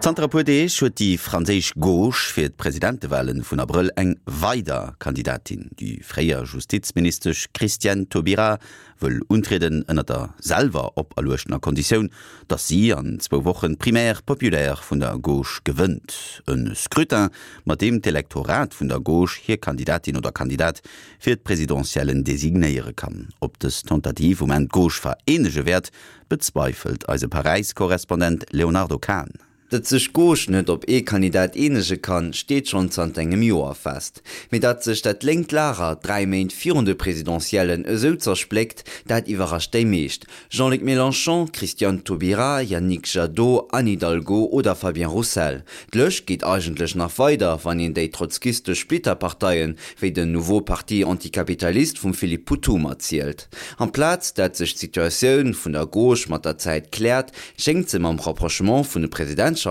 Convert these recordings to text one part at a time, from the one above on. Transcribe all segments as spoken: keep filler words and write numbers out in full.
Zanter e puer Deeg huet déi franséisch Gauche fir d'Presidentewale vun Abrëll eng weider Kandidatin. Déi fréier Justizministesch Christiane Taubira wëll untrieden ënner der selwer operluechter Konditioun, datt si an zwou Wochen d'Primaire populaire vun der Gauche gewënnt. E Scrutin, mat deem d'Elektorat vun der Gauche hir Kandidatin oder Kandidat fir d'Presidentiellen designéiere kann. Ob dës Tentative um Enn d'Gauche vereenege wäert, bezweifelt eise Paräis-Korrespondent Léonardo Kahn. Datt sech d'Gauche net op ee Kandidat eenege kann, steet schonn zanter engem Joer fest. Mee datt sech dat lénkt Lager dräi Méint virun de Presidentiellen esou zerspléckt, dat iwwerrascht déi meescht. Jean-Luc Mélenchon, Christiane Taubira, Yannick Jadot, Anne Hidalgo oder Fabien Roussel. D'Lëscht geet eigentlech nach weider, wann een déi trotzkistesch Splitterparteien, wéi den Nouveau Parti Anticapitaliste vum Philippe Poutou matzielt. Amplaz dat sech d'Situatioun vun der Gauche mat der Zäit kläert, schéngt se mam Rapprochement vun de Presidentschaftswalen,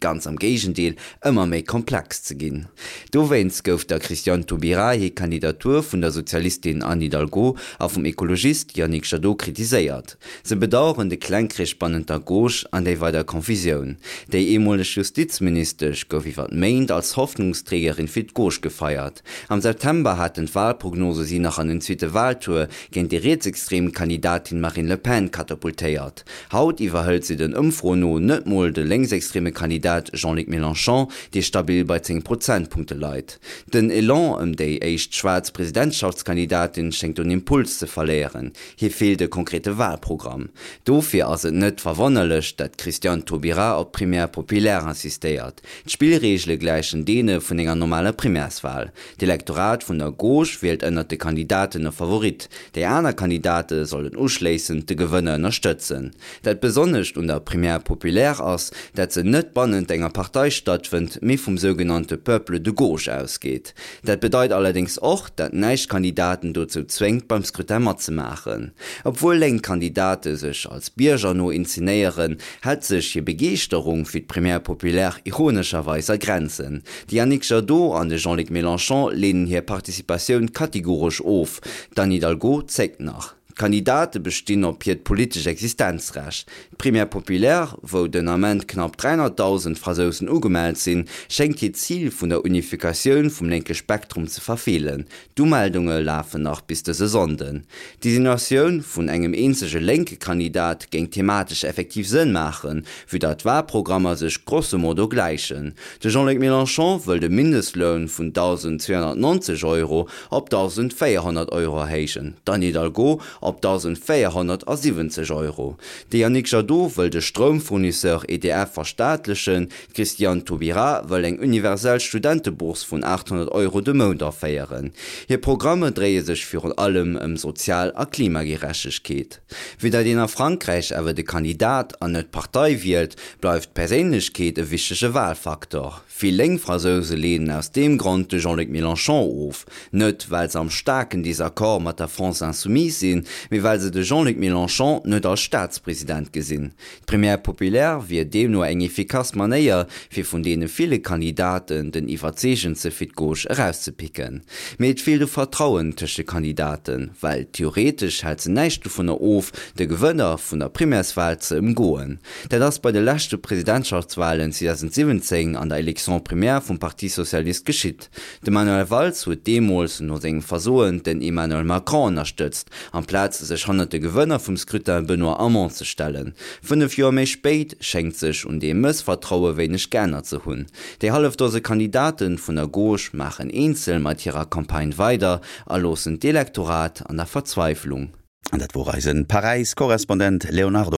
ganz am Géigendeel, ëmmer méi komplex ze ginn. Dowéinst gouf der Christiane Taubira hir Kandidatur vun der Sozialistin Anne Hidalgo a vum Ekologist Yannick Jadot kritiséiert. Se bedaueren de Klengkrich bannent der Gauche an déi weider Confusioun. Déi eemoleg Justizministesch gouf iwwer Méint als Hoffnungsträgerin fir d'Gauche gefeiert. Am September haten d'Walprognose si nach an den zweete Waltour géint déi rietsextrem Kandidatin Marine Le Pen katapultéiert. Haut iwwerhëlt si den Ëmfroen no net mol de lénksextreme Kandidat Jean-Luc Mélenchon, dee stabil bei zéng Prozentpunkte leit. Den Elan ëm déi éischt schwaarz Presidentschaftskandidatin schéngt un Impuls ze verléieren. Hir feelt e konkrete Walprogramm. Dofir ass et net verwonnerlech, dat d'Christiane Taubira op d'Primaire populaire insistéiert. D'Spillreegele gläichen deene vun enger normaler Primairswal. D'Elektorat vun der Gauche wielt ënnert de Kandidaten e Favorit. Déi aner Kandidate sollen uschléissend de Gewënner ënnerstëtzen. Dat Besonnescht un der Primaire populaire ass, dat se net bannent enger Partei stattfënnt, mee vum sougenannte Peuple de gauche ausgeet. Dat bedeit allerdéngs och, dat näischt Kandidaten dozou zwéngt, beim Scrutin matzemaachen. Obwuel lénk Kandidate sech als biergerno inzenéieren, hält sech hir Begeeschterung fir d'Primaire populaire ironescherweis a Grenzen. De Yannick Jadot an de Jean-Luc Mélenchon leenen hir Participatioun kategoresch of, d'Anne Hidalgo zéckt nach. D'Kandidate bestinn op hiert politescht Existenzrecht. D'Primaire populaire, wou den Ament knapp dräihonnertdausend Fransousen ugemellt sinn, schéngt hiert Zil vun der Unifikatioun vum lénke Spektrum ze verfeelen. D'Umeldunge lafen nach bis dëse Sonnden. D'Designatioun vun engem eenzege lénke Kandidat géing thematesch effektiv Sënn maachen, vue datt d'Walprogrammer sech grosso modo gläichen. De Jean-Luc Mélenchon wëll de Mindestloun vun dausend zweehonnertneunzeg Euro op dausend véierhonnert Euro erhéijen, d'Anne Hidalgo op dausend véierhonnertsiwwenzeg Euro. De Yannick Jadot wëll de Stroumfournisseur E D F verstaatlechen, d'Christiane Taubira wëll eng universell Studentebourse vun aathonnert Euro de Mount aféieren. Hir Programmer dréie sech virun allem ëm Sozial a Klimagerechtegkeet. Vue datt een a Frankräich awer de Kandidat an net d'Partei wielt, bleift d'Perséinlechkeet e wichtege Walfaktor. Vill lénk Fransouse leenen aus deem Grond de Jean-Luc Mélenchon of, net well se am staarken Desaccord mat der France Insoumise sinn, mee well se de Jean-Luc Mélenchon net als Staatspresident gesinn. D'Primaire populaire wier deemno eng efficace Manéier, fir vun deene ville Kandidaten den iwwerzeegendste fir d'Gauche erauszepicken. Mee et feelt u Vertrauen tëscht de Kandidaten, well theoretesch hält se näischt dovunner of, de Gewënner vun der Primairswal ze ëmgoen. Dat ass bei de leschte Presidentschaftswalen zweedausendsiwwenzéng an der Élection primaire vum Parti Socialiste geschitt. De Manuel Valls huet deemools no sengem Versoen den Emmanuel Macron ënnerstëtzt, amplaz sech hannert de Gewënner vum Scrutin Benoît Hamon ze stellen. Fënnef Joer méi spéit schéngt sech un deem Mëssvertraue wéineg geännert ze hunn. Déi hallef Dose Kandidate vun der Gauche maachen eenzel mat hirer Campagne weider a loossen d'Elektorat an der Verzweiflung. An dat wor eise Paräis-Korrespondent Léonardo.